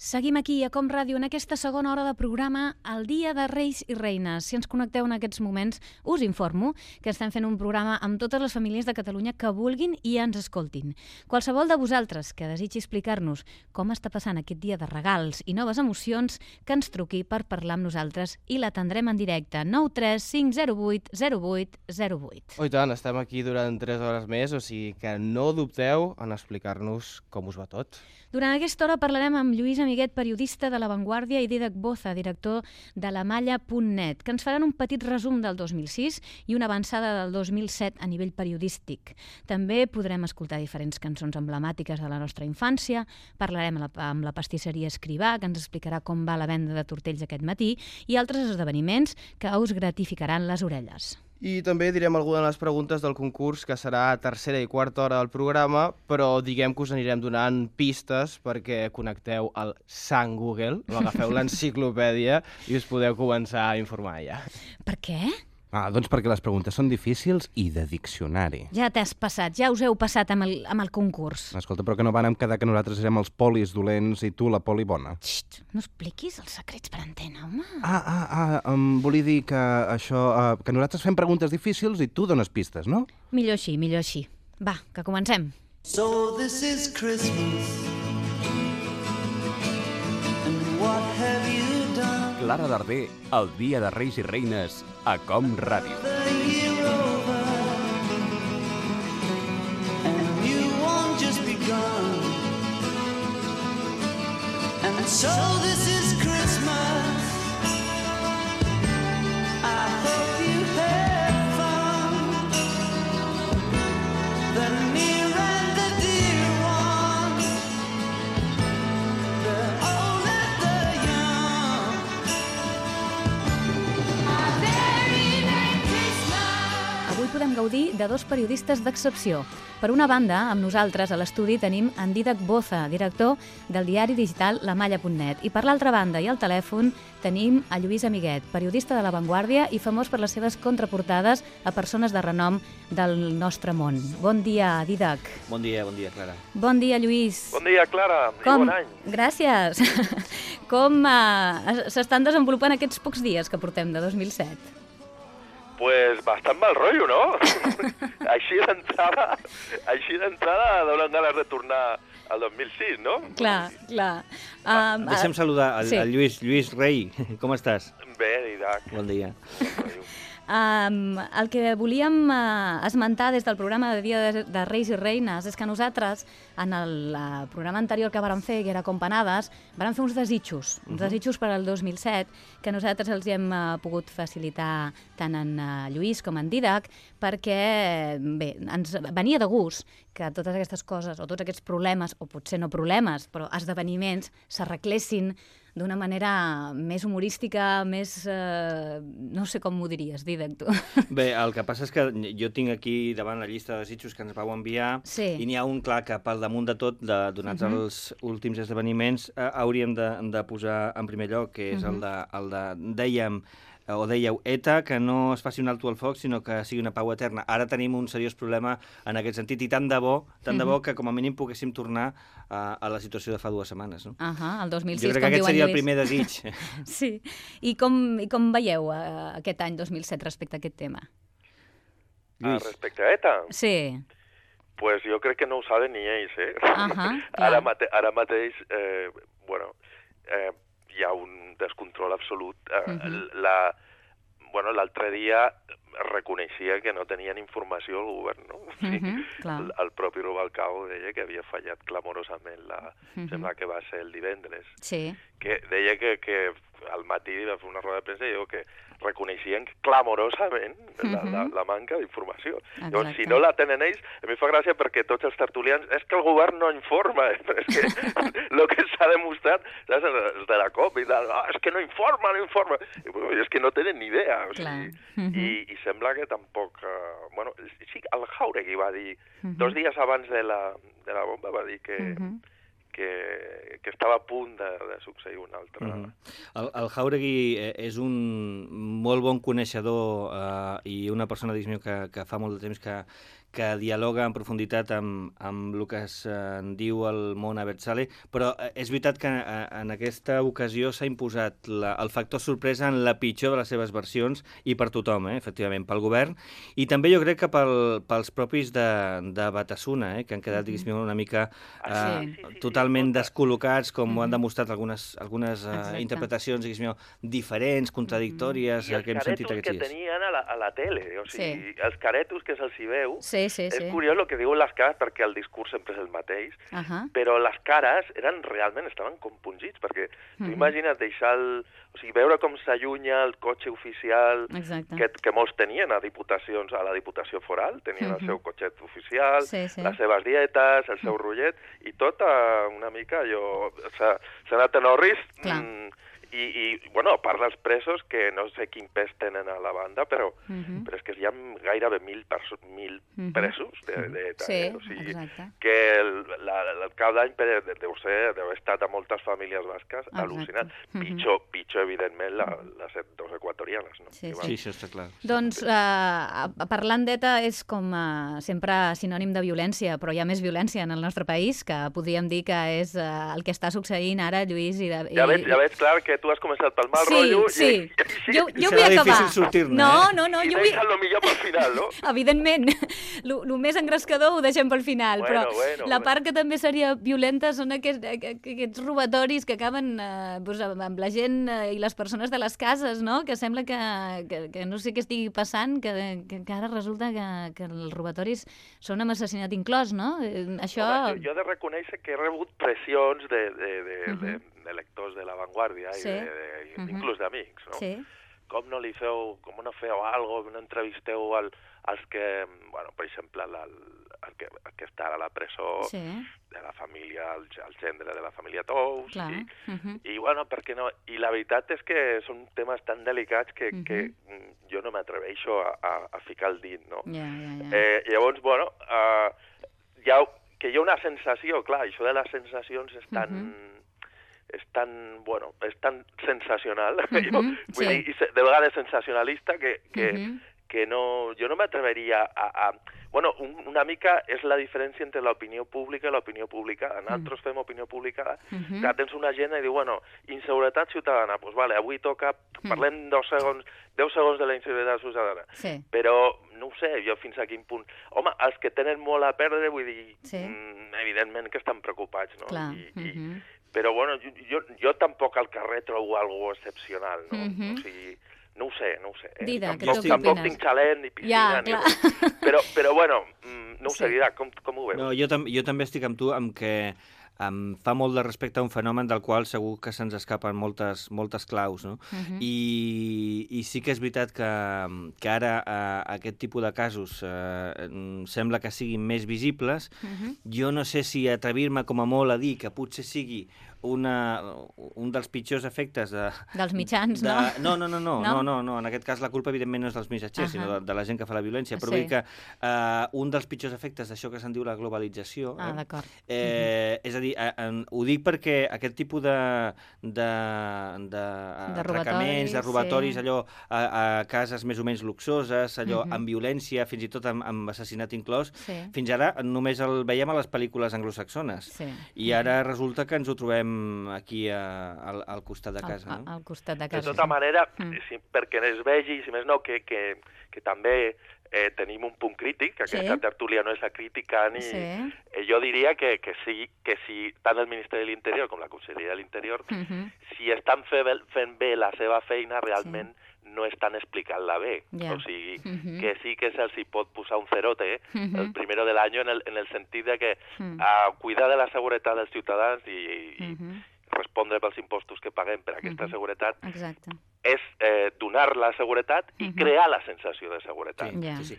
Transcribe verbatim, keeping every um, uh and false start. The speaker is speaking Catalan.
Seguim aquí a Com Ràdio en aquesta segona hora de programa El Dia de Reis i Reines. Si ens connecteu en aquests moments, us informo que estem fent un programa amb totes les famílies de Catalunya que vulguin i ens escoltin. Qualsevol de vosaltres que desitgi explicar-nos com està passant aquest dia de regals i noves emocions, que ens truqui per parlar amb nosaltres i l'atendrem en directe. nou tres cinc zero vuit zero vuit zero vuit. Oh, i tant, estem aquí durant tres hores més, o sigui que no dubteu en explicar-nos com us va tot. Durant aquesta hora parlarem amb Lluís Amiguet, periodista de La Vanguardia, i Dídac Boza, director de la malla punt net, que ens faran un petit resum del dos mil sis i una avançada del dos mil set a nivell periodístic. També podrem escoltar diferents cançons emblemàtiques de la nostra infància, parlarem amb la, amb la pastisseria Escrivà, que ens explicarà com va la venda de tortells aquest matí, i altres esdeveniments que us gratificaran les orelles. I també direm alguna de les preguntes del concurs, que serà a tercera i quarta hora del programa, però diguem que us anirem donant pistes perquè connecteu al Sant Google, o agafeu l'enciclopèdia i us podeu començar a informar ja. Per què? Ah, doncs perquè les preguntes són difícils i de diccionari. Ja t'has passat, ja us heu passat amb el, amb el concurs. Escolta, però que no vàrem quedar que nosaltres érem els polis dolents i tu la poli bona. Xt, no expliquis els secrets per antena, home. Ah, ah, ah, em volia dir que això, uh, que nosaltres fem preguntes difícils i tu dones pistes, no? Millor així, millor així. Va, que comencem. So this is Christmas, and what have you done? Clara Darder, el Dia de Reis i Reines, a Com Ràdio. The year over, and you won't just begun. And so this is Christmas, I hope you had fun. The near and the dear ones, the old and the young. Avui podem gaudir de dos periodistes d'excepció. Per una banda, amb nosaltres a l'estudi tenim en Dídac Boza, director del diari digital la malla punt net. I per l'altra banda i al telèfon tenim a Lluís Amiguet, periodista de La Vanguardia i famós per les seves contraportades a persones de renom del nostre món. Bon dia, Dídac. Bon dia, bon dia, Clara. Bon dia, Lluís. Bon dia, Clara, i Com? bon any. Gràcies. Com uh, s'estan desenvolupant aquests pocs dies que portem de dos mil set? Pues bastant mal rotllo, no? Així d'entrada, així d'entrada donen ganes de tornar al dos mil sis, no? Clar, clar. Um, Deixa'm saludar el, sí. el Lluís. Lluís Rei, com estàs? Bé, Dídac. Bon dia. Um, el que volíem uh, esmentar des del programa de Dia de, de Reis i Reines és que nosaltres, en el uh, programa anterior que vàrem fer, que era Companades, vàrem fer uns desitjos, uns desitjos per al dos mil set, que nosaltres els hem uh, pogut facilitar tant en uh, Lluís com en Dídac, perquè bé, ens venia de gust que totes aquestes coses, o tots aquests problemes, o potser no problemes, però esdeveniments, s'arreglessin d'una manera més humorística, més... Eh, no sé com m'ho diries, Dídac, tu. Bé, el que passa és que jo tinc aquí davant la llista de desitjos que ens vau enviar, Sí. i n'hi ha un clar que pel damunt de tot, de, donats uh -huh. els últims esdeveniments, eh, hauríem de, de posar en primer lloc, que és uh -huh. el, de, el de, dèiem, o dèieu, ETA, que no es faci un alto al foc, sinó que sigui una pau eterna. Ara tenim un seriós problema en aquest sentit, i tant de bo, tant de bo que com a mínim poguéssim tornar a, a la situació de fa dues setmanes. No? Uh -huh, el dos mil sis, jo crec com que aquest diu en seria el Lluís. primer desig. Sí. I com, i com veieu uh, aquest any dos mil set respecte a aquest tema? Ah, Lluís. respecte a ETA, Sí. pues jo crec que no ho saben ni ells, eh? Ahà, clar. ara, mate ara mateix, eh, bueno, eh, hi ha un descontrol absolut. Eh, Uh -huh. la, bueno, l'altre dia reconeixia que no tenien informació el govern, no? O sigui, Uh -huh, clar. el, el propi Rubalcaba deia que havia fallat clamorosament, la, Uh -huh. sembla que va ser el divendres, Sí. que deia que, que al matí va fer una roda de premsa i diu que reconeixien clamorosament la, Mhm. la, la manca d'informació. Exacte. Llavors, si no la tenen ells, a mi fa gràcia perquè tots els tertulians, és que el govern no informa, eh? Però és que el que s'ha demostrat, saps, els de la COP i tal, ah, és que no informa, no informa, i, bueno, és que no tenen ni idea, o sigui, Mhm. i, i sembla que tampoc, uh, bueno, sí, el Jauregui va dir, Mhm. dos dies abans de la, de la bomba va dir que, Mhm. que, que estava a punt de, de succeir una altra... Uh -huh. el, el Jauregui és un molt bon coneixedor eh, i una persona, diguéssim, que, que fa molt de temps que, que dialoga en profunditat amb, amb el que es eh, diu el món Abertzale, però eh, és veritat que eh, en aquesta ocasió s'ha imposat la, el factor sorpresa en la pitjor de les seves versions i per tothom, eh, efectivament, pel govern, i també jo crec que pel, pels propis de, de Batasuna, eh, que han quedat, diguéssim, una mica eh, Sí. sí, sí, sí, totalment sí, descol·locats, com Mhm. ho han demostrat algunes, algunes eh, Exacte. interpretacions, diguéssim, diferents, contradictòries, I eh, els que hem sentit caretos aquests que dies. tenien a la, a la tele, o sigui, Sí. els caretos que se'ls hi veu, Sí, sí, sí. és curiós el que diuen les cares perquè el discurs sempre és el mateix, Ahà. però les cares eren realment, estaven compungits, perquè tu Mhm. imagina't deixar el... O sigui, veure com s'allunya el cotxe oficial Exacte. que, que molts tenien a diputacions, a la Diputació Foral, tenien Mhm. el seu cotxet oficial, Sí, sí. les seves dietes, el seu rotllet, i tot eh, una mica allò... S'ha s'ha anat en orris, Clar. mm, i, i, bueno, a part dels presos, que no sé quin pes tenen a la banda, però, Mhm. però és que hi ha gairebé mil, perso mil Mhm. presos de, de, de, Sí, o sigui, exacte. que el, la, el cap d'any per- deu ser, deu haver estat a moltes famílies basques Exacte. al·lucinant. Mhm. Pitjor, pitjor, evidentment, la, les dos equatorianes, no? Sí, I, sí. bueno, Sí, això està clar. Doncs eh, parlant d'ETA és com eh, sempre sinònim de violència, però hi ha més violència en el nostre país, que podríem dir que és eh, el que està succeint ara, Lluís. I de, i... ja veig, ja veig clar que tu has començat pel mal Sí, rotllo sí. i, i, Jo, I jo serà vull acabar. difícil sortir-ne, No, eh? no, no, i jo vull... deixes el millor pel final, no? Evidentment, el més engrescador ho deixem pel final, Bueno, però bueno, la bueno. part que també seria violenta són aquests, aquests robatoris que acaben eh, doncs, amb la gent eh, i les persones de les cases, no? Que sembla que, que, que no sé què estigui passant, que, que, que ara resulta que, que els robatoris són amb assassinat inclòs, no? Eh, Això... Home, jo, jo he de reconèixer que he rebut pressions de, de, de, Mhm. de, de lectors de La Vanguardia Sí. i de, de, Mhm. inclús d'amics, no? Sí. Com no li feu, com no feu algo, no entrevisteu al, als que, bueno, per exemple, el, el, que, el que està a la presó Sí, de la família, el, el gendre de la família Tous, clar. i, Mhm. i bueno, per què no? I la veritat és que són temes tan delicats que, Mhm. que mm, jo no m'atreveixo a, a, a ficar el dit, no? Ja, ja, ja. Eh, llavors, bueno, uh, hi ha, que hi ha una sensació, clar, això de les sensacions és tan... Mhm. és tan, bueno, és tan sensacional, Mhm, jo, vull sí. dir, i se- de vegades sensacionalista, que, que, Mhm. que no, jo no m'atreveria a... a bueno, un, una mica és la diferència entre l'opinió pública i l'opinió publicada. Nosaltres fem opinió publicada, Mhm. que tens una gent i diu, bueno, inseguretat ciutadana, doncs pues vale, avui toca, Mm. parlem dos segons, deu segons de la inseguretat ciutadana. Sí. Però no ho sé, jo fins a quin punt... Home, els que tenen molt a perdre, vull dir, Sí. mm, evidentment que estan preocupats, no? Clar. I, i, Mhm. Però, bueno, jo, jo, jo tampoc al carrer trobo algo excepcional, no? Mhm. O sigui, no ho sé, no ho sé. Eh? Didac, tampoc, tu què tampoc opines? tinc xalet ni piscina, Ja, ni clar. res. Però, però, bueno, mm, no ho sé, Sí. Didac, com, com ho veus? No, jo, tam jo també estic amb tu, amb que em fa molt de respecte a un fenomen del qual segur que se'ns escapen moltes, moltes claus, no? Mhm. I, I sí que és veritat que, que ara eh, aquest tipus de casos eh, em sembla que siguin més visibles. Mhm. Jo no sé si atrevir-me com a molt a dir que potser sigui una, un dels pitjors efectes de... Dels mitjans, de, no? No, no, no, no, No? no, no, no, en aquest cas la culpa evidentment no és dels missatgers, Ahà. sinó de, de la gent que fa la violència, però Sí. vull dir que eh, un dels pitjors efectes d'això que se'n diu la globalització, Ah, eh, d'acord. Eh, és a dir, eh, en, ho dic perquè aquest tipus de, de, de, De atracaments, de robatoris, robatoris, sí. allò a, a cases més o menys luxoses, allò Mhm. amb violència, fins i tot amb, amb assassinat inclòs, Sí. fins ara només el veiem a les pel·lícules anglosaxones. Sí. I ara resulta que ens ho trobem aquí a, al, al costat de casa, al, no? al costat de De casa. tota sí. manera, Mm. si, perquè es vegi, si més no, que, que, que també eh, tenim un punt crític, que Sí. aquesta tertúlia no és a criticar ni... Sí. Eh, jo diria que, que, sí, que si tant el Ministeri de l'Interior com la Conselleria de l'Interior, Mhm. si estan fe, fent bé la seva feina, realment no estan explicant-la bé. Ja. O sigui, Mhm. que sí que se'ls hi pot posar un cerote Mhm. el primero del any en el, en el sentit de que Mm. a cuidar de la seguretat dels ciutadans i, i Mhm. respondre pels impostos que paguem per aquesta Mhm. seguretat Exacte. és eh, donar la seguretat i Mhm. crear la sensació de seguretat. Sí, Ja. sí, sí.